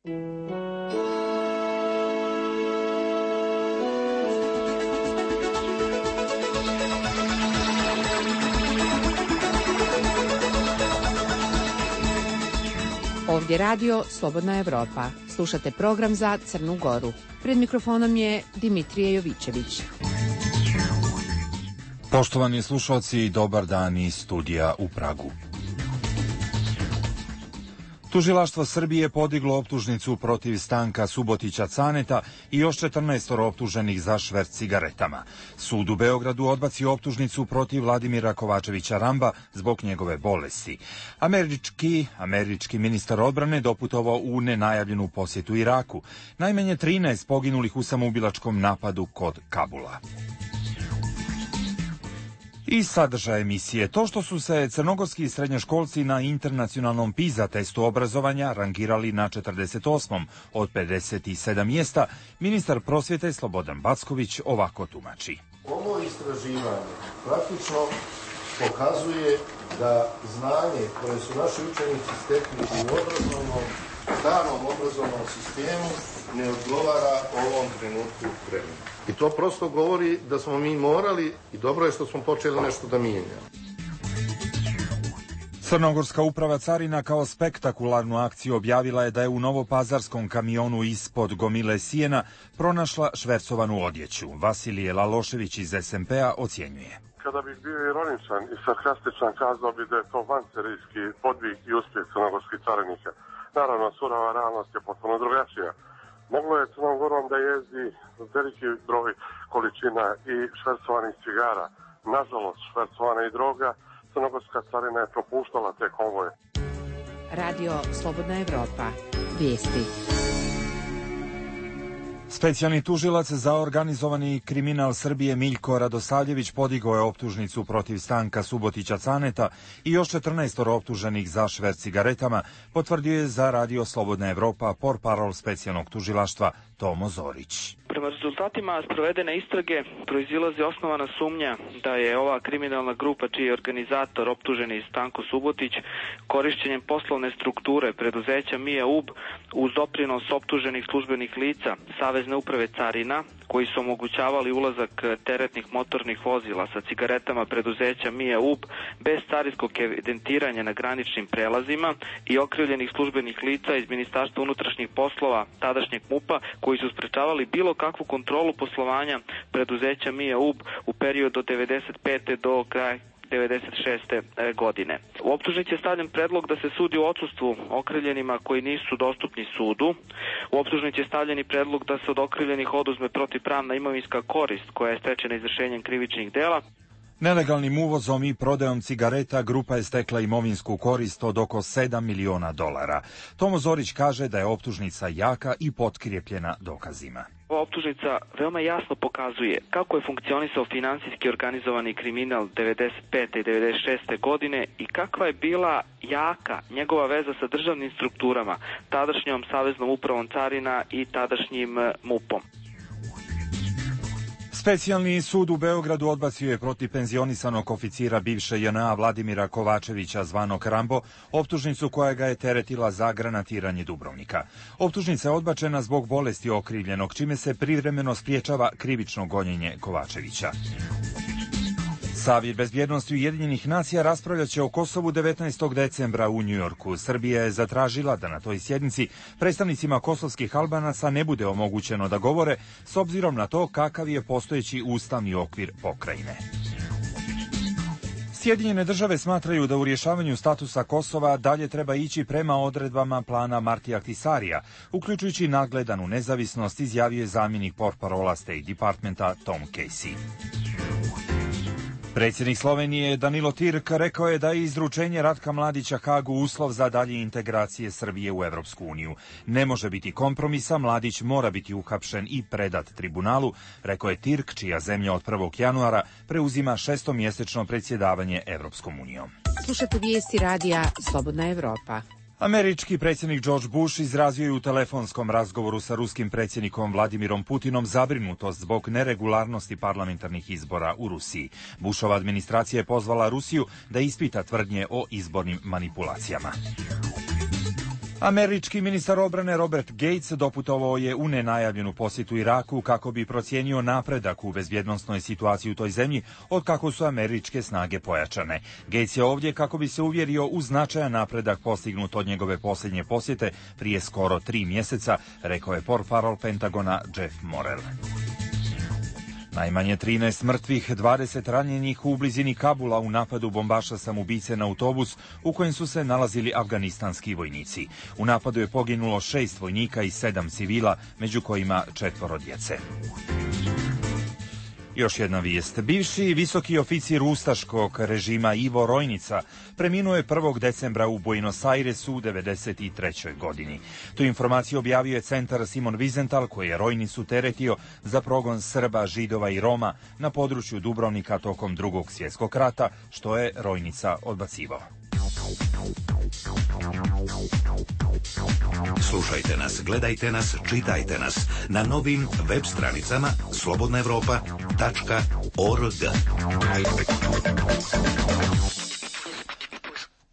Ovdje radio Slobodna Evropa. Slušate program za Crnu Goru. Pred mikrofonom je Dimitrije Jovićević. Poštovani slušalci, dobar dan iz studija u Pragu. Tužilaštvo Srbije podiglo optužnicu protiv Stanka Subotića Caneta i još 14 optuženih za šverc cigaretama. Sud u Beogradu odbacio optužnicu protiv Vladimira Kovačevića Ramba zbog njegove bolesti. Američki ministar odbrane doputovao u nenajavljenu posjetu Iraku. Najmanje 13 poginulih u samoubilačkom napadu kod Kabula. I sadržaj emisije. To što su se crnogorski srednjoškolci na internacionalnom PISA testu obrazovanja rangirali na 48. od 57 mjesta, ministar prosvjete Slobodan Backović ovako tumači. Ovo istraživanje praktično pokazuje da znanje koje su naši učenici stekli u starom obrazovnom sistemu ne odgovara ovom trenutku vremena. I to prosto govori da smo mi morali, i dobro je što smo počeli nešto da mijenjamo. Crnogorska uprava carina kao spektakularnu akciju objavila je da je u novopazarskom kamionu ispod gomile sijena pronašla švercovanu odjeću. Vasilije Lalošević iz SMP-a ocjenjuje. Kada bih bio ironičan i sarkastičan, kazao bi da je to vanserijski podvig i uspjeh crnogorskih carinika. Naravno, surova realnost je potpuno drugačija. Moglo je Crnom Gorom da jezdi veliki broj količina i švercovanih cigara. Nažalost, švercovana i droga, crnogorska carina je propuštala te konvoje. Radio Slobodna Evropa. Vijesti. Specijalni tužilac za organizovani kriminal Srbije Miljko Radosavljević podigao je optužnicu protiv Stanka Subotića Caneta i još 14 optuženih za šverc cigaretama, potvrdio je za Radio Slobodna Evropa portparol specijalnog tužilaštva Tomo Zorić. Prema rezultatima sprovedene istrage proizilazi osnovana sumnja da je ova kriminalna grupa čiji je organizator optuženi Stanko Subotić korišćenjem poslovne strukture preduzeća Mija UB uz doprinos optuženih službenih lica Savezne uprave carina koji su omogućavali ulazak teretnih motornih vozila sa cigaretama preduzeća Mija UB bez carinskog evidentiranja na graničnim prelazima i okrivljenih službenih lica iz Ministarstva unutrašnjih poslova tadašnjeg MUP-a koji su sprečavali bilo kakvu kontrolu poslovanja preduzeća Mija UB u periodu od 95. do kraja 96. godine. U optužnici je stavljen predlog da se sudi u odsustvu okrivljenima koji nisu dostupni sudu. U optužnici je stavljen i predlog da se od okrivljenih oduzme protivpravna imovinska korist koja je stečena izvršenjem krivičnih dela. Nelegalnim uvozom i prodajom cigareta grupa je stekla imovinsku korist od oko $7 miliona. Tomo Zorić kaže da je optužnica jaka i potkrijepljena dokazima. Ova optužnica veoma jasno pokazuje kako je funkcionisao finansijski organizovani kriminal 95. i 96. godine i kakva je bila jaka njegova veza sa državnim strukturama, tadašnjom Saveznom upravom carina i tadašnjim MUP-om. Specijalni sud u Beogradu odbacio je protiv penzionisanog oficira bivše JNA Vladimira Kovačevića zvanog Rambo optužnicu koja ga je teretila za granatiranje Dubrovnika. Optužnica je odbačena zbog bolesti okrivljenog, čime se privremeno spriječava krivično gonjenje Kovačevića. Savjet bezbjednosti Ujedinjenih nacija raspravljaće o Kosovu 19. decembra u Njujorku. Srbija je zatražila da na toj sjednici predstavnicima kosovskih Albanaca ne bude omogućeno da govore s obzirom na to kakav je postojeći ustavni okvir pokrajine. Sjedinjene države smatraju da u rješavanju statusa Kosova dalje treba ići prema odredbama plana Martija Ahtisarija, uključujući nadgledanu nezavisnost, izjavio je zamjenik portparola State Departmenta Tom Casey. Predsjednik Slovenije Danilo Tirk rekao je da je izručenje Ratka Mladića Hagu uslov za dalje integracije Srbije u Evropsku uniju. Ne može biti kompromisa, Mladić mora biti uhapšen i predat tribunalu, rekao je Tirk, čija zemlja od 1. januara preuzima 6-mjesečno predsjedavanje Evropskom unijom. Slušate vijesti radija Slobodna Evropa. Američki predsjednik George Bush izrazio je u telefonskom razgovoru sa ruskim predsjednikom Vladimirom Putinom zabrinutost zbog neregularnosti parlamentarnih izbora u Rusiji. Bushova administracija je pozvala Rusiju da ispita tvrdnje o izbornim manipulacijama. Američki ministar odbrane Robert Gates doputovao je u nenajavljenu posjetu Iraku kako bi procijenio napredak u bezbjednosnoj situaciji u toj zemlji od kako su američke snage pojačane. Gates je ovdje kako bi se uvjerio u značajan napredak postignut od njegove posljednje posjete prije skoro 3 mjeseca, rekao je portparol Pentagona Jeff Morel. Najmanje 13 mrtvih, 20 ranjenih u blizini Kabula u napadu bombaša samoubice na autobus u kojem su se nalazili afganistanski vojnici. U napadu je poginulo 6 vojnika i 7 civila, među kojima 4 djece. Još jedna vijest. Bivši visoki oficir ustaškog režima Ivo Rojnica preminuo je 1. decembra u Buenos Airesu u 93. godini. Tu informaciju objavio je centar Simon Wiesenthal koji je Rojnicu teretio za progon Srba, Židova i Roma na području Dubrovnika tokom Drugog svjetskog rata, što je Rojnica odbacivao. Slušajte nas, gledajte nas, čitajte nas na novim web stranicama slobodnaevropa.org.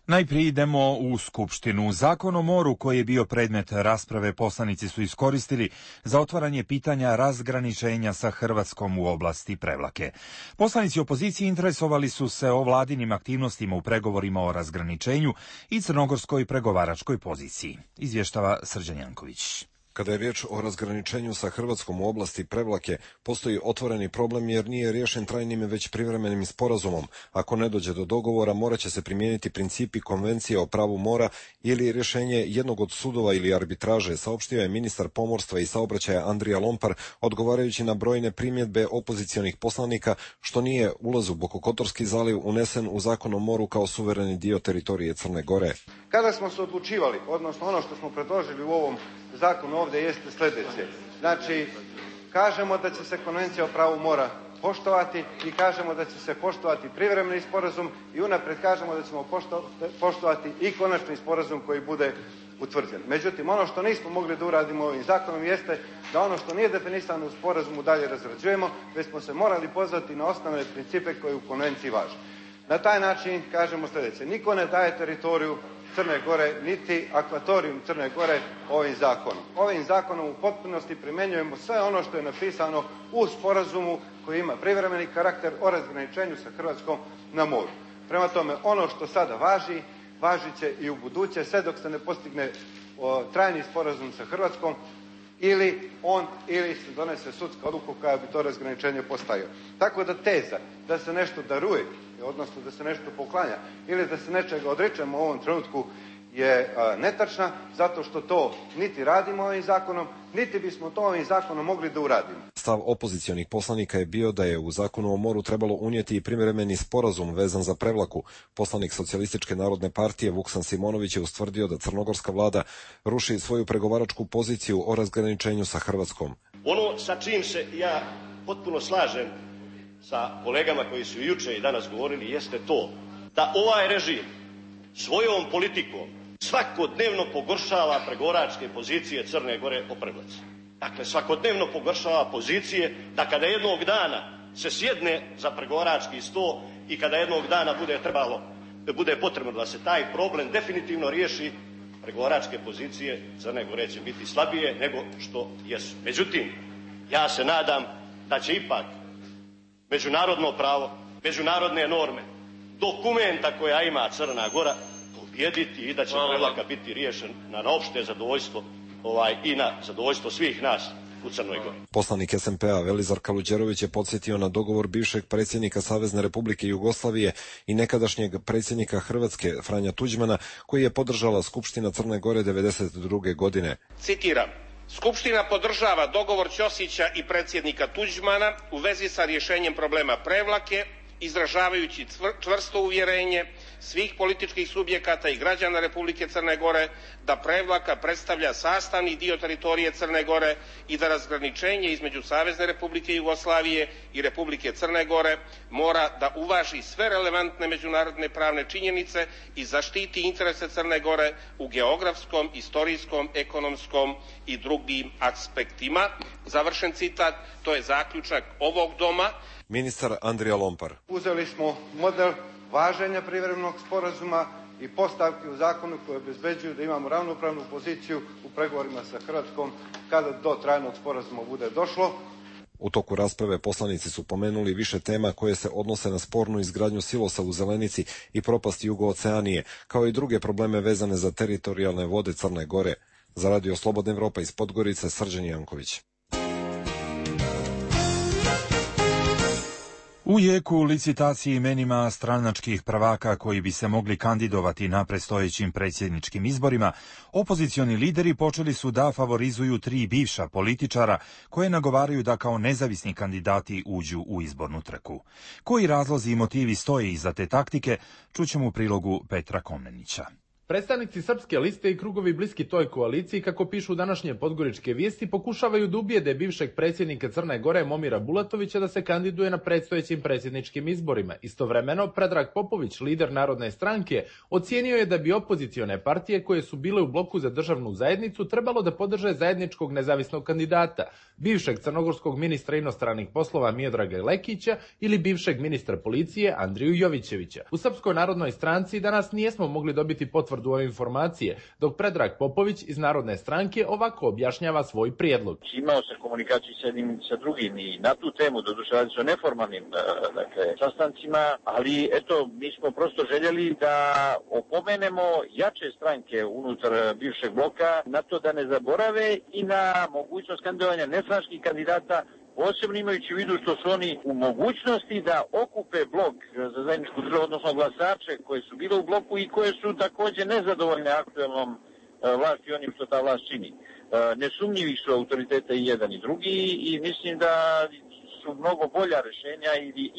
Najprije idemo u Skupštinu. Zakon o moru koji je bio predmet rasprave poslanici su iskoristili za otvaranje pitanja razgraničenja sa Hrvatskom u oblasti Prevlake. Poslanici opozicije interesovali su se o vladinim aktivnostima u pregovorima o razgraničenju i crnogorskoj pregovaračkoj poziciji. Izvještava Srđan Janković. Kada je riječ o razgraničenju sa Hrvatskom u oblasti Prevlake, postoji otvoreni problem jer nije riješen trajnim već privremenim sporazumom. Ako ne dođe do dogovora, morat će se primijeniti principi Konvencije o pravu mora ili rješenje jednog od sudova ili arbitraže, saopštio je ministar pomorstva i saobraćaja Andrija Lompar, odgovarajući na brojne primjedbe opozicionih poslanika, što nije ulaz u Bokokotorski zaliv unesen u Zakon o moru kao suvereni dio teritorije Crne Gore. Kada smo se odlučivali, odnosno ono što smo predložili u ovom zakonu ovdje jeste sljedeće. Znači, kažemo da će se Konvencija o pravu mora poštovati i kažemo da će se poštovati privremeni sporazum i unaprijed kažemo da ćemo poštovati i konačni sporazum koji bude utvrđen. Međutim, ono što nismo mogli da uradimo ovim zakonom jeste da ono što nije definisano u sporazumu dalje razrađujemo, već smo se morali pozvati na osnovne principe koji u konvenciji važe. Na taj način kažemo sljedeće. Niko ne daje teritoriju Crne Gore, niti akvatorijum Crne Gore ovim zakonom. Ovim zakonom u potpunosti primjenjujemo sve ono što je napisano u sporazumu koji ima privremeni karakter o razgraničenju sa Hrvatskom na moru. Prema tome, ono što sada važi, važit će i u buduće, sve dok se ne postigne trajni sporazum sa Hrvatskom ili se donese sudska odluka koja bi to razgraničenje postavio. Tako da teza da se nešto daruje, odnosno da se nešto poklanja ili da se nečega odričemo u ovom trenutku je netačna, zato što to niti radimo ovim zakonom, niti bismo to ovim zakonom mogli da uradimo. Stav opozicionih poslanika je bio da je u Zakonu o moru trebalo unijeti i privremeni sporazum vezan za Prevlaku. Poslanik Socijalističke narodne partije Vuksan Simonović je ustvrdio da crnogorska vlada ruši svoju pregovaračku poziciju o razgraničenju sa Hrvatskom. Ono sa čim se ja potpuno slažem sa kolegama koji su juče i danas govorili jeste to da ovaj režim svojom politikom svakodnevno pogoršava pregovaračke pozicije Crne Gore o Prevlaci. Dakle, svakodnevno pogoršava pozicije da kada jednog dana se sjedne za pregovarački sto i kada jednog dana bude potrebno da se taj problem definitivno riješi, pregovaračke pozicije Crne Gore će biti slabije nego što jesu. Međutim, ja se nadam da će ipak međunarodno pravo, međunarodne norme, dokumenta koja ima Crna Gora pobijediti i da će Prevlaka biti riješen na opšte zadovoljstvo i na zadovoljstvo svih nas u Crnoj Gori. Poslanik SMP-a Velizar Kaluđerović je podsjetio na dogovor bivšeg predsjednika Savezne Republike Jugoslavije i nekadašnjeg predsjednika Hrvatske Franja Tuđmana, koji je podržala Skupština Crne Gore 1992. godine. Citiram. Skupština podržava dogovor Ćosića i predsjednika Tuđmana u vezi sa rješenjem problema Prevlake, izražavajući čvrsto uvjerenje svih političkih subjekata i građana Republike Crne Gore da Prevlaka predstavlja sastavni dio teritorije Crne Gore i da razgraničenje između Savezne Republike Jugoslavije i Republike Crne Gore mora da uvaži sve relevantne međunarodne pravne činjenice i zaštiti interese Crne Gore u geografskom, istorijskom, ekonomskom i drugim aspektima. Završen citat, to je zaključak ovog doma. Ministar Andrija Lompar. Uzeli smo model važenja privremenog sporazuma i postavki u zakonu koje obezbeđuju da imamo ravnopravnu poziciju u pregovorima sa Hrvatskom kada do trajnog sporazuma bude došlo. U toku rasprave poslanici su pomenuli više tema koje se odnose na spornu izgradnju silosa u Zelenici i propast Jugooceanije, kao i druge probleme vezane za teritorijalne vode Crne Gore. Za Radio Slobodna Evropa iz Podgorice, Srđan Janković. U jeku licitaciji imenima stranačkih prvaka koji bi se mogli kandidovati na predstojećim predsjedničkim izborima, opozicioni lideri počeli su da favorizuju 3 bivša političara koje nagovaraju da kao nezavisni kandidati uđu u izbornu trku. Koji razlozi i motivi stoje iza te taktike, čućemo u prilogu Petra Komnenića. Predstavnici Srpske liste i krugovi bliski toj koaliciji, kako pišu današnje podgoričke vijesti, pokušavaju da ubijede bivšeg predsjednika Crne Gore Momira Bulatovića da se kandiduje na predstojećim predsjedničkim izborima. Istovremeno, Predrag Popović, lider Narodne stranke, ocijenio je da bi opozicione partije koje su bile u bloku za državnu zajednicu trebalo da podrže zajedničkog nezavisnog kandidata, bivšeg crnogorskog ministra inostranih poslova Miodraga Lekića ili bivšeg ministra policije Andriju Jovićevića. U Srpskoj narodnoj stranci danas nijesmo mogli dobiti potvrdu ove informacije, dok Predrag Popović iz Narodne stranke ovako objašnjava svoj prijedlog. Imao sam komunikaciju s jednim i sa drugim i na tu temu, doduše radi se o neformalnim sastancima, ali eto, mi smo prosto željeli da opomenemo jače stranke unutar bivšeg bloka na to da ne zaborave i na mogućnost kandidovanja nestranačkih kandidata, posebno imajući u vidu što su oni u mogućnosti da okupe blok za zajedničku državu, odnosno glasače koje su bile u bloku i koje su također nezadovoljne aktuelnom vlasti onim što ta vlast čini. Nesumnjivi su autoriteta i jedan i drugi i mislim da su mnogo bolja rješenja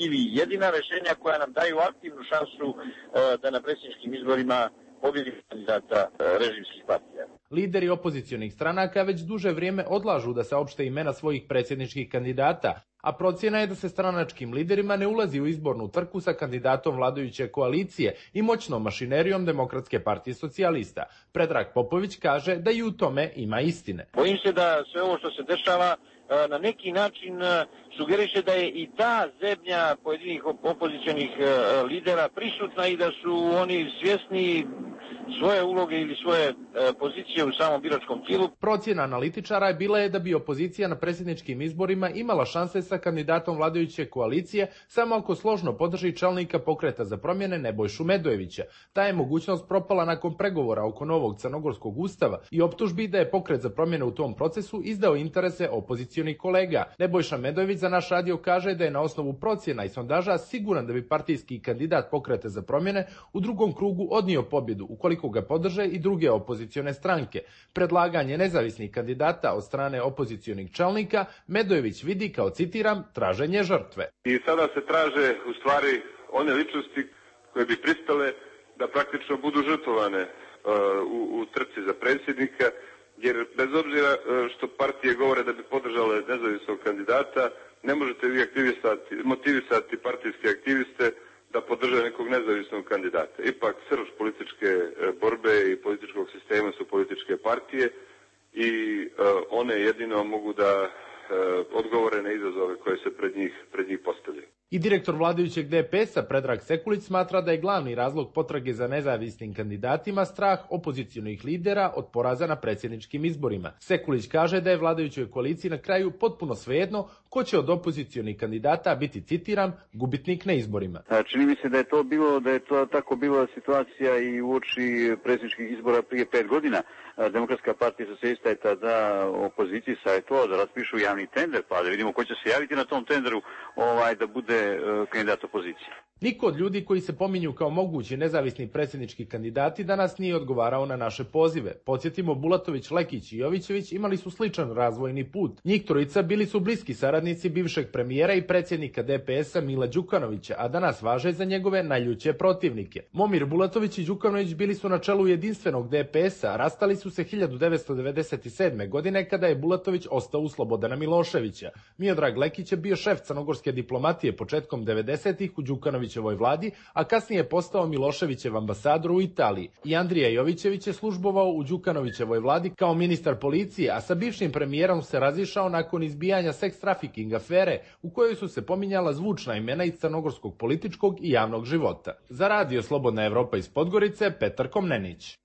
ili jedina rješenja koja nam daju aktivnu šansu da na predsjedničkim izborima pobjedi kandidata režimskih partija. Lideri opozicionih stranaka već duže vrijeme odlažu da saopšte imena svojih predsjedničkih kandidata, a procjena je da se stranačkim liderima ne ulazi u izbornu trku sa kandidatom vladajuće koalicije i moćnom mašinerijom Demokratske partije socijalista. Predrag Popović kaže da i u tome ima istine. Bojim se da sve ovo što se dešava na neki način sugeriše da je i ta zebnja pojedinih opozicionih lidera prisutna i da su oni svjesni svoje uloge ili svoje pozicije u samom biračkom tijelu. Procjena analitičara je bila da bi opozicija na predsjedničkim izborima imala šanse sa kandidatom vladajuće koalicije samo ako složno podrži čelnika Pokreta za promjene Nebojšu Medojevića. Ta je mogućnost propala nakon pregovora oko novog crnogorskog ustava i optužbi da je Pokret za promjene u tom procesu izdao interese opozicionih kolega. Nebojša Medojević za naš radio kaže da je na osnovu procjena i sondaža siguran da bi partijski kandidat Pokreta za promjene u drugom krugu odnio pobjedu ukoliko ga podrže i druge opozicione stranke. Predlaganje nezavisnih kandidata od strane opozicionih čelnika Medojević vidi kao, citiram, traženje žrtve. I sada se traže u stvari one ličnosti koje bi pristale da praktično budu žrtvovane u trci za predsjednika, jer bez obzira što partije govore da bi podržale nezavisnog kandidata, ne možete vi motivisati partijske aktiviste da podrže nekog nezavisnog kandidata. Ipak srž političke borbe i političkog sistema su političke partije i one jedino mogu da odgovore na izazove koje se pred njih postavljaju. I direktor vladajućeg DPS-a Predrag Sekulić smatra da je glavni razlog potrage za nezavisnim kandidatima strah opozicionih lidera od poraza na predsjedničkim izborima. Sekulić kaže da je vladajućoj koaliciji na kraju potpuno svejedno ko će od opozicionih kandidata biti, citiram, gubitnik na izborima. Čini mi se da je to tako bila situacija i uoči predsjedničkih izbora prije 5 godina. Demokratska partija socijalista je tada opoziciji savjetovala da raspišu javni tender, pa da vidimo ko će se javiti na tom tenderu da bude kandidat opozicije. Niko od ljudi koji se pominju kao mogući nezavisni predsjednički kandidati danas nije odgovarao na naše pozive. Podsjetimo, Bulatović, Lekić i Jovićević imali su sličan razvojni put. Njih trojica bili su bliski saradnici bivšeg premijera i predsjednika DPS-a Mila Đukanovića, a danas važe za njegove najljuće protivnike. Momir Bulatović i Đukanović bili su na čelu jedinstvenog DPS-a, a rastali su su se 1997. godine kada je Bulatović ostao u Slobodana Miloševića. Miodrag Lekić je bio šef crnogorske diplomatije početkom 90-ih u Đukanovićevoj vladi, a kasnije je postao Miloševićev ambasador u Italiji. I Andrija Jovićević je službovao u Đukanovićevoj vladi kao ministar policije, a sa bivšim premijerom se razišao nakon izbijanja seks trafiking afere u kojoj su se pominjala zvučna imena iz crnogorskog političkog i javnog života. Za Radio Slobodna Evropa iz Podgorice, Petar Komnenić.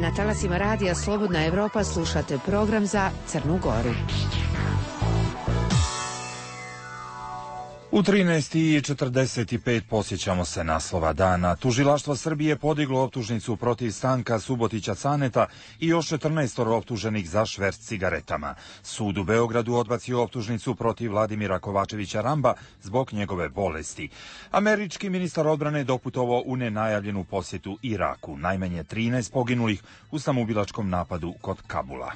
Na talasima Radija Slobodna Evropa slušate program za Crnu Goru. U 13:45 posjećamo se naslova dana. Tužilaštvo Srbije podiglo optužnicu protiv Stanka Subotića Caneta i još 14 optuženih za šverc cigaretama. Sud u Beogradu odbacio optužnicu protiv Vladimira Kovačevića Ramba zbog njegove bolesti. Američki ministar odbrane doputovao u nenajavljenu posjetu Iraku. Najmanje 13 poginulih u samoubilačkom napadu kod Kabula.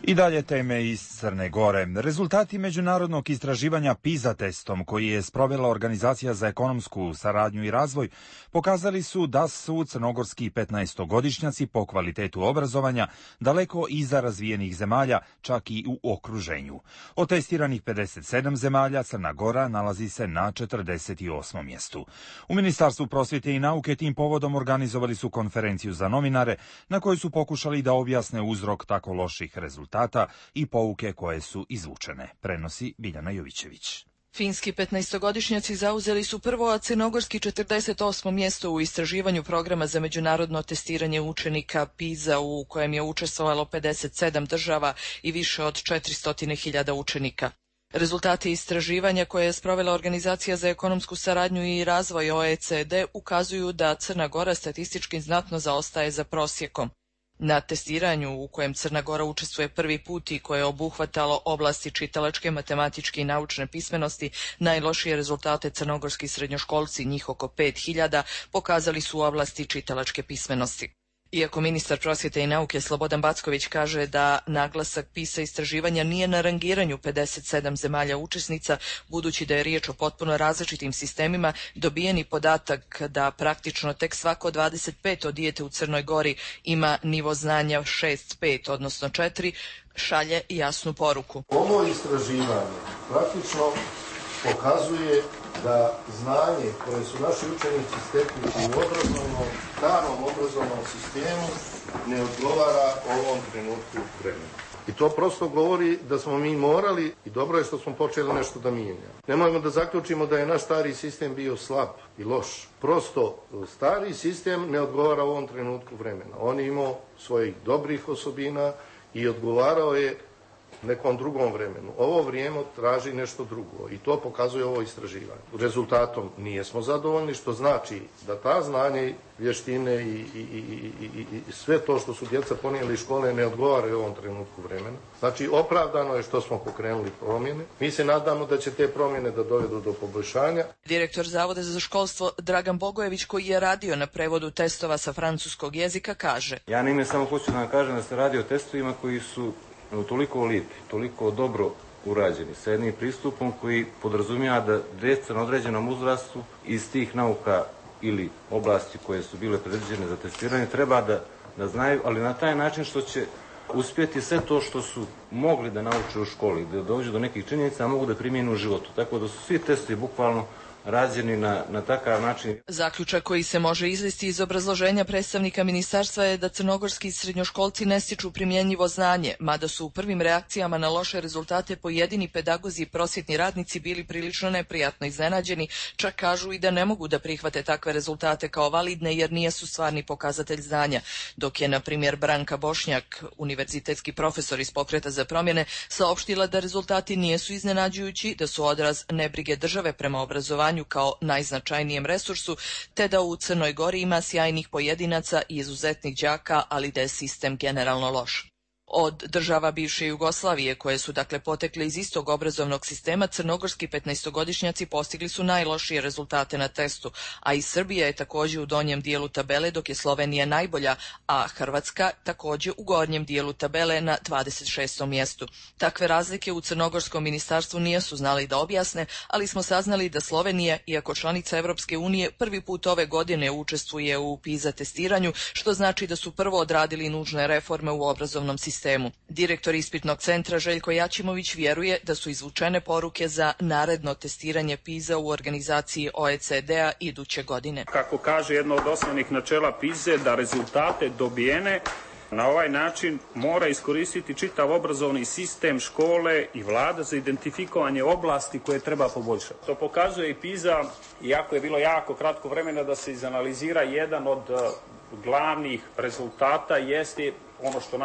I dalje teme iz Crne Gore. Rezultati međunarodnog istraživanja PISA testom koji je sprovela Organizacija za ekonomsku saradnju i razvoj pokazali su da su crnogorski 15-godišnjaci po kvalitetu obrazovanja daleko iza razvijenih zemalja, čak i u okruženju. Od testiranih 57 zemalja Crna Gora nalazi se na 48. mjestu. U Ministarstvu prosvjete i nauke tim povodom organizovali su konferenciju za novinare na kojoj su pokušali da objasne uzrok tako loših rezultata i pouke koje su izvučene, prenosi Biljana Jovićević. Finski 15-godišnjaci zauzeli su prvo, a crnogorski 48. mjesto u istraživanju programa za međunarodno testiranje učenika PISA u kojem je učestvovalo 57 država i više od 400.000 učenika. Rezultati istraživanja koje je sprovela Organizacija za ekonomsku saradnju i razvoj OECD ukazuju da Crna Gora statistički znatno zaostaje za prosjekom. Na testiranju u kojem Crna Gora učestvuje prvi put i koje je obuhvatalo oblasti čitalačke, matematičke i naučne pismenosti, najlošije rezultate crnogorski srednjoškolci, njih oko 5.000, pokazali su u oblasti čitalačke pismenosti. Iako ministar prosvjete i nauke Slobodan Backović kaže da naglasak PISA istraživanja nije na rangiranju 57 zemalja učesnica, budući da je riječ o potpuno različitim sistemima, dobijeni podatak da praktično tek svako 25 dijete u Crnoj Gori ima nivo znanja 6.5, odnosno 4, šalje jasnu poruku. Ovo istraživanje praktično pokazuje da znanje koje su naši učenici stekli u starom obrazovnom sistemu ne odgovara ovom trenutku vremena. I to prosto govori da smo mi morali, i dobro je što smo počeli nešto da mijenjamo. Nemojmo da zaključimo da je naš stari sistem bio slab i loš. Prosto, stari sistem ne odgovara ovom trenutku vremena. On je imao svojih dobrih osobina i odgovarao je nekom drugom vremenu. Ovo vrijeme traži nešto drugo i to pokazuje ovo istraživanje. Rezultatom nijesmo zadovoljni, što znači da ta znanje, vještine i sve to što su djeca ponijeli iz škole ne odgovaraju ovom trenutku vremena. Znači, opravdano je što smo pokrenuli promjene. Mi se nadamo da će te promjene da dovedu do poboljšanja. Direktor Zavoda za školstvo Dragan Bogojević, koji je radio na prevodu testova sa francuskog jezika, kaže: Ja naime samo hoću da vam kažem da se radi o testovima koji su toliko lijepi, toliko dobro urađeni, sa jednim pristupom koji podrazumijeva da djeca na određenom uzrastu iz tih nauka ili oblasti koje su bile predviđene za testiranje treba da znaju, ali na taj način što će uspjeti sve to što su mogli da nauče u školi, da dođu do nekih činjenica, a mogu da primijenu u životu. Tako da su svi testovi bukvalno rađeni na takav način. Zaključak koji se može izvesti iz obrazloženja predstavnika ministarstva je da crnogorski srednjoškolci ne stiču primjenjivo znanje, mada su u prvim reakcijama na loše rezultate pojedini pedagozi i prosvjetni radnici bili prilično neprijatno iznenađeni, čak kažu i da ne mogu da prihvate takve rezultate kao validne jer nisu stvarni pokazatelj znanja, dok je, na primjer, Branka Bošnjak, univerzitetski profesor iz Pokreta za promjene, saopštila da rezultati nisu iznenađujući, da su odraz nebrige države prema obrazovanju kao najznačajnijem resursu, te da u Crnoj Gori ima sjajnih pojedinaca i izuzetnih đaka, ali da je sistem generalno loš. Od država bivše Jugoslavije, koje su dakle potekle iz istog obrazovnog sistema, crnogorski 15-godišnjaci postigli su najlošije rezultate na testu, a i Srbija je također u donjem dijelu tabele, dok je Slovenija najbolja, a Hrvatska također u gornjem dijelu tabele na 26. mjestu. Takve razlike u crnogorskom ministarstvu nisu znali da objasne, ali smo saznali da Slovenija, iako članica Europske unije, prvi put ove godine učestvuje u PISA testiranju, što znači da su prvo odradili nužne reforme u obrazovnom sistemu. Direktor ispitnog centra Željko Jačimović vjeruje da su izvučene poruke za naredno testiranje PISA u organizaciji OECD-a iduće godine. Kako kaže jedno od osnovnih načela PISA, da rezultate dobijene na ovaj način mora iskoristiti čitav obrazovni sistem, škole i vlada za identifikovanje oblasti koje treba poboljšati. To pokazuje i PISA, iako je bilo jako kratko vremena da se izanalizira, jedan od glavnih rezultata jeste ono što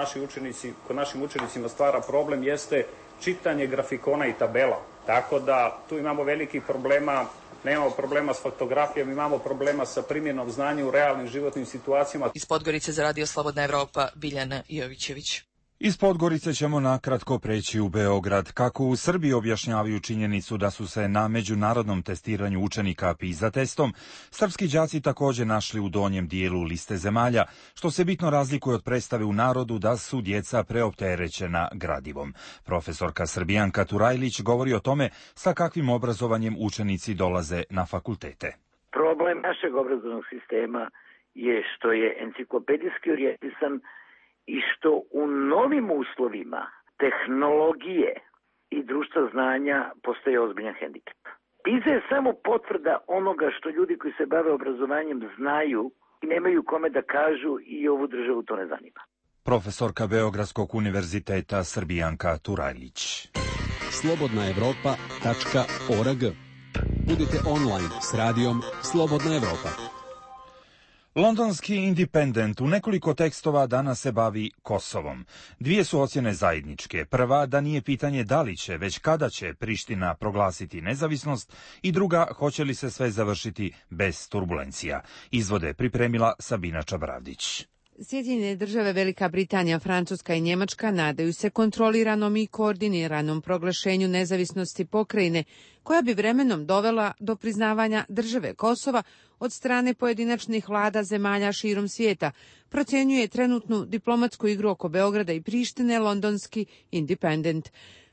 kod našim učenicima stvara problem, jeste čitanje grafikona i tabela. Tako da tu imamo velikih problema, nemamo problema s fotografijom, imamo problema sa primjenom znanja u realnim životnim situacijama. Iz Podgorice za Radio Slobodna Evropa, Biljana Jovićević. Iz Podgorice ćemo nakratko preći u Beograd. Kako u Srbiji objašnjavaju činjenicu da su se na međunarodnom testiranju učenika PISA testom srpski đaci također našli u donjem dijelu liste zemalja, što se bitno razlikuje od predstave u narodu da su djeca preopterećena gradivom. Profesorka Srbijanka Turajlić govori o tome sa kakvim obrazovanjem učenici dolaze na fakultete. Problem našeg obrazovnog sistema je što je enciklopedijski orijentisan i što u novim uslovima tehnologije i društva znanja postoje ozbiljan hendikep. PISA je samo potvrda onoga što ljudi koji se bave obrazovanjem znaju i nemaju kome da kažu i ovu državu to ne zanima. Profesorka Beogradskog univerziteta Srbijanka Turajlić. slobodnaevropa.org. Budite online s radijom Slobodna Evropa. Londonski Independent u nekoliko tekstova danas se bavi Kosovom. Dvije su ocjene zajedničke. Prva, da nije pitanje da li će, već kada će Priština proglasiti nezavisnost, i druga, hoće li se sve završiti bez turbulencija. Izvode pripremila Sabina Čabravdić. Sjedinjene države, Velika Britanija, Francuska i Njemačka nadaju se kontroliranom i koordiniranom proglašenju nezavisnosti pokrajine, koja bi vremenom dovela do priznavanja države Kosova od strane pojedinačnih vlada zemalja širom svijeta, procjenjuje trenutnu diplomatsku igru oko Beograda i Prištine londonski Independent.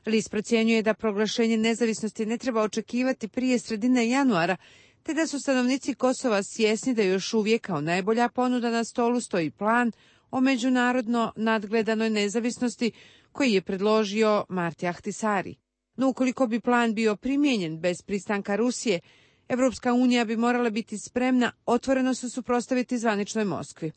List procjenjuje da proglašenje nezavisnosti ne treba očekivati prije sredine januara, te da su stanovnici Kosova svjesni da još uvijek kao najbolja ponuda na stolu stoji plan o međunarodno nadgledanoj nezavisnosti koji je predložio Marti Ahtisari. No ukoliko bi plan bio primijenjen bez pristanka Rusije, Evropska unija bi morala biti spremna otvoreno se suprotstaviti zvaničnoj Moskvi.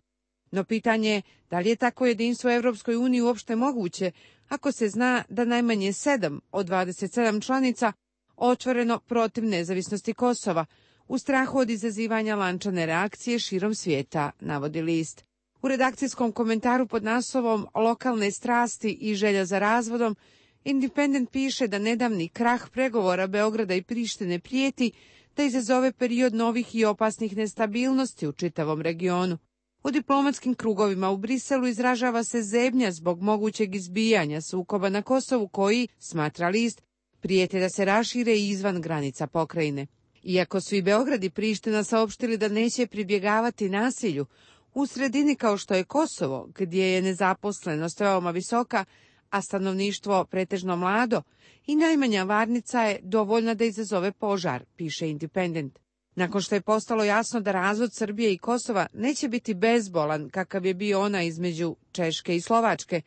No pitanje je da li je tako jedinstvo Evropskoj uniji uopšte moguće ako se zna da najmanje 7 od 27 članica otvoreno protiv nezavisnosti Kosova, u strahu od izazivanja lančane reakcije širom svijeta, navodi list. U redakcijskom komentaru pod naslovom Lokalne strasti i želja za razvodom, Independent piše da nedavni krah pregovora Beograda i Prištine prijeti da izazove period novih i opasnih nestabilnosti u čitavom regionu. U diplomatskim krugovima u Briselu izražava se zebnja zbog mogućeg izbijanja sukoba na Kosovu koji, smatra list, prijete da se rašire izvan granica pokrajine. Iako su i Beograd i Priština saopštili da neće pribjegavati nasilju, u sredini kao što je Kosovo, gdje je nezaposlenost veoma visoka, a stanovništvo pretežno mlado, i najmanja varnica je dovoljna da izazove požar, piše Independent. Nakon što je postalo jasno da razvod Srbije i Kosova neće biti bezbolan kakav je bio ona između Češke i Slovačke,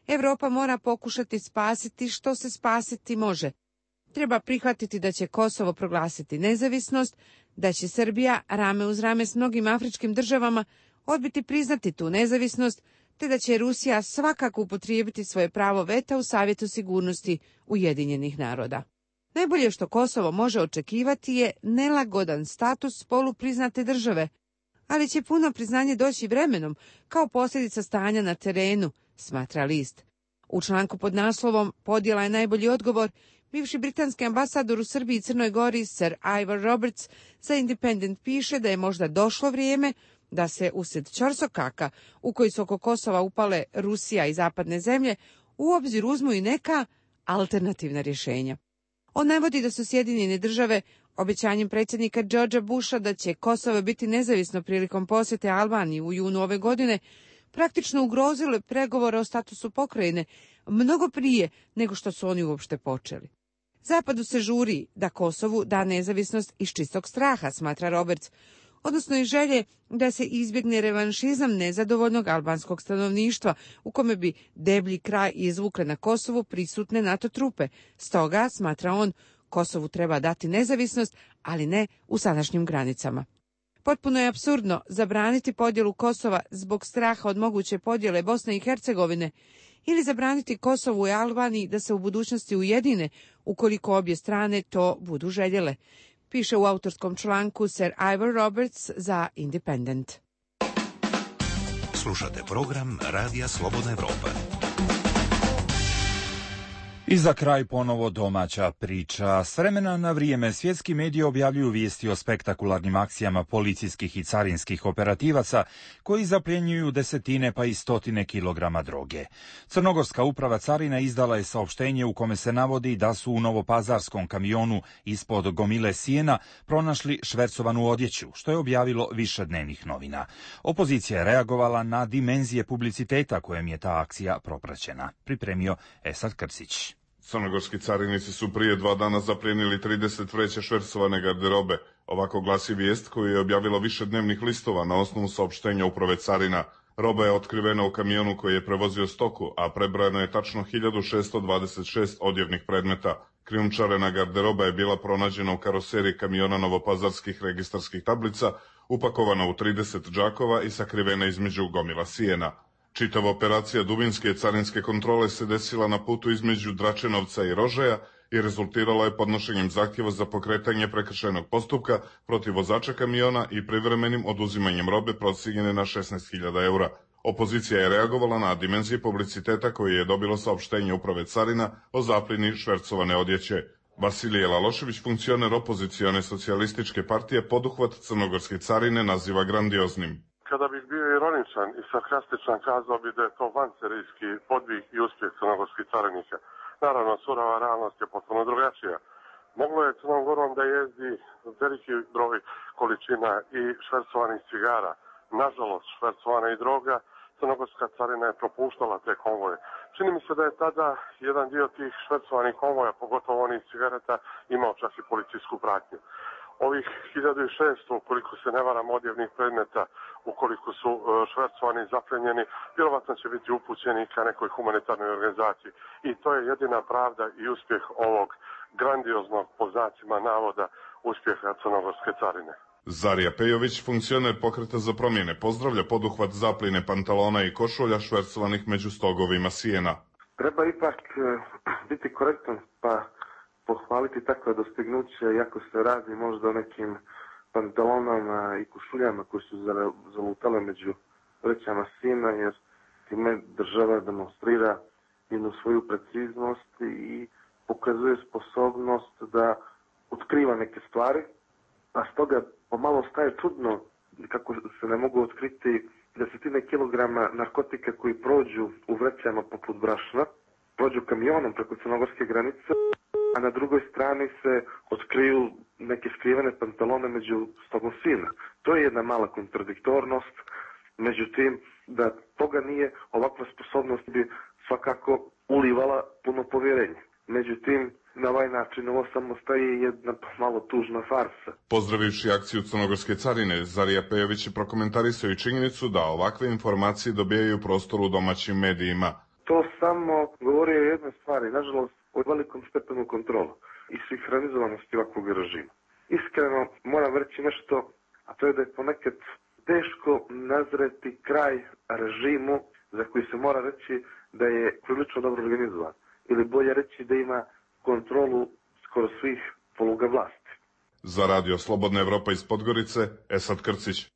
Evropa mora pokušati spasiti što se spasiti može. Treba prihvatiti da će Kosovo proglasiti nezavisnost, da će Srbija rame uz rame s mnogim afričkim državama odbiti priznati tu nezavisnost, te da će Rusija svakako upotrijebiti svoje pravo veta u Savjetu sigurnosti Ujedinjenih naroda. Najbolje što Kosovo može očekivati je nelagodan status polupriznate države, ali će puno priznanje doći vremenom kao posljedica stanja na terenu, smatra list. U članku pod naslovom Podjela je najbolji odgovor, bivši britanski ambasador u Srbiji i Crnoj Gori, Sir Ivor Roberts, za Independent piše da je možda došlo vrijeme da se usred ćorsokaka u koji su oko Kosova upale Rusija i zapadne zemlje u obzir uzmu i neka alternativna rješenja. On navodi da su Sjedinjene države obećanjem predsjednika Georgea Busha da će Kosovo biti nezavisno prilikom posjete Albaniji u junu ove godine praktično ugrozile pregovore o statusu pokrajine mnogo prije nego što su oni uopšte počeli. Zapadu se žuri da Kosovu da nezavisnost iz čistog straha, smatra Roberts, odnosno i želje da se izbjegne revanšizam nezadovoljnog albanskog stanovništva u kome bi deblji kraj izvukle na Kosovu prisutne NATO trupe. Stoga, smatra on, Kosovu treba dati nezavisnost, ali ne u sadašnjim granicama. Potpuno je apsurdno zabraniti podjelu Kosova zbog straha od moguće podjele Bosne i Hercegovine ili zabraniti Kosovu i Albaniji da se u budućnosti ujedine ukoliko obje strane to budu željele, piše u autorskom članku Sir Ivor Roberts za Independent. Slušate program Radija Slobodna Evropa. I za kraj ponovo domaća priča. S vremena na vrijeme svjetski mediji objavljuju vijesti o spektakularnim akcijama policijskih i carinskih operativaca koji zapljenjuju desetine pa i stotine kilograma droge. Crnogorska uprava carina izdala je saopštenje u kome se navodi da su u novopazarskom kamionu ispod gomile sijena pronašli švercovanu odjeću, što je objavilo više dnevnih novina. Opozicija je reagovala na dimenzije publiciteta kojem je ta akcija propraćena. Pripremio Esad Krsić. Crnogorski carinici su prije 2 dana zaplijenili 30 vreća švercovane garderobe. Ovako glasi vijest koju je objavilo više dnevnih listova na osnovu saopštenja uprave carina. Roba je otkrivena u kamionu koji je prevozio stoku, a prebrojeno je tačno 1626 odjevnih predmeta. Krijumčarena garderoba je bila pronađena u karoseriji kamiona novopazarskih registarskih tablica, upakovana u 30 džakova i sakrivena između gomila sijena. Čitava operacija dubinske carinske kontrole se desila na putu između Dračenovca i Rožaja i rezultirala je podnošenjem zahtjeva za pokretanje prekršajnog postupka protiv vozača kamiona i privremenim oduzimanjem robe procijenjene na 16.000 eura. Opozicija je reagovala na dimenzije publiciteta koje je dobilo saopštenje uprave carina o zapljeni švercovane odjeće. Vasilije Lalošević, funkcioner opozicione socijalističke partije, poduhvat crnogorske carine naziva grandioznim. Kada bih bio ironičan i sarkastičan, kazao bi da je to vanserijski podvig i uspjeh crnogorskih carinika. Naravno, surova realnost je potpuno drugačija. Moglo je Crnom Gorom da jezdi veliki broj količina i švercovanih cigara. Nažalost, švercovana i droga, crnogorska carina je propuštala te konvoje. Čini mi se da je tada jedan dio tih švercovanih konvoja, pogotovo onih cigareta, imao čak i policijsku pratnju. Ovih 1600, ukoliko se ne varam, odjevnih predmeta, ukoliko su švercovani i zapljenjeni, vjerovatno će biti upućeni ka nekoj humanitarnoj organizaciji. I to je jedina pravda i uspjeh ovog grandioznog, po znacima navoda, uspjeha crnogorske carine. Zarija Pejović, funkcioner Pokreta za promjene, pozdravlja poduhvat zapljene pantalona i košulja švercovanih među stogovima sijena. Treba ipak biti korektan, pa pohvaliti takve dostignuće, iako se radi možda o nekim pantalonama i košuljama koji su zalutale među vrećama sina, jer time država demonstrira jednu svoju preciznost i pokazuje sposobnost da otkriva neke stvari, a stoga pomalo staje čudno kako se ne mogu otkriti desetine kilograma narkotika koji prođu u vrećama poput brašna, prođu kamionom preko crnogorske granice, a na drugoj strani se otkriju neke skrivene pantalone među stogom sina. To je jedna mala kontradiktornost, međutim, da toga nije, ovakva sposobnost bi svakako ulivala puno povjerenje. Međutim, na ovaj način ovo samo staje jedna malo tužna farsa. Pozdravivši akciju crnogorske carine, Zarija Pejović je prokomentarisao i činjenicu da ovakve informacije dobijaju prostor u domaćim medijima. To samo govori o jednoj stvari, nažalost, o velikom stepenu kontrola i sinhronizovanosti ovakvog režima. Iskreno moram reći nešto, a to je da je ponekad teško nazreti kraj režimu za koji se mora reći da je prilično dobro organizovan. Ili bolje reći da ima kontrolu skoro svih poluga vlasti. Za Radio Slobodna Evropa iz Podgorice, Esad Krcić.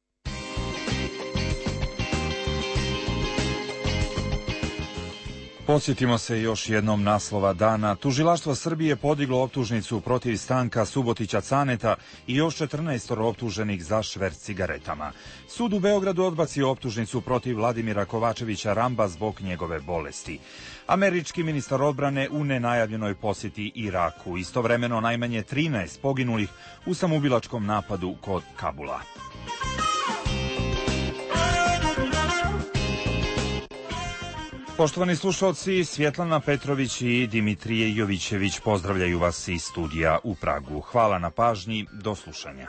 Podsjetimo se još jednom naslova dana. Tužilaštvo Srbije podiglo optužnicu protiv Stanka Subotića Caneta i još 14 optuženih za šverc cigaretama. Sud u Beogradu odbacio optužnicu protiv Vladimira Kovačevića Ramba zbog njegove bolesti. Američki ministar odbrane u nenajavljenoj posjeti Iraku. Istovremeno najmanje 13 poginulih u samoubilačkom napadu kod Kabula. Poštovani slušalci, Svjetlana Petrović i Dimitrije Jovićević pozdravljaju vas iz studija u Pragu. Hvala na pažnji, do slušanja.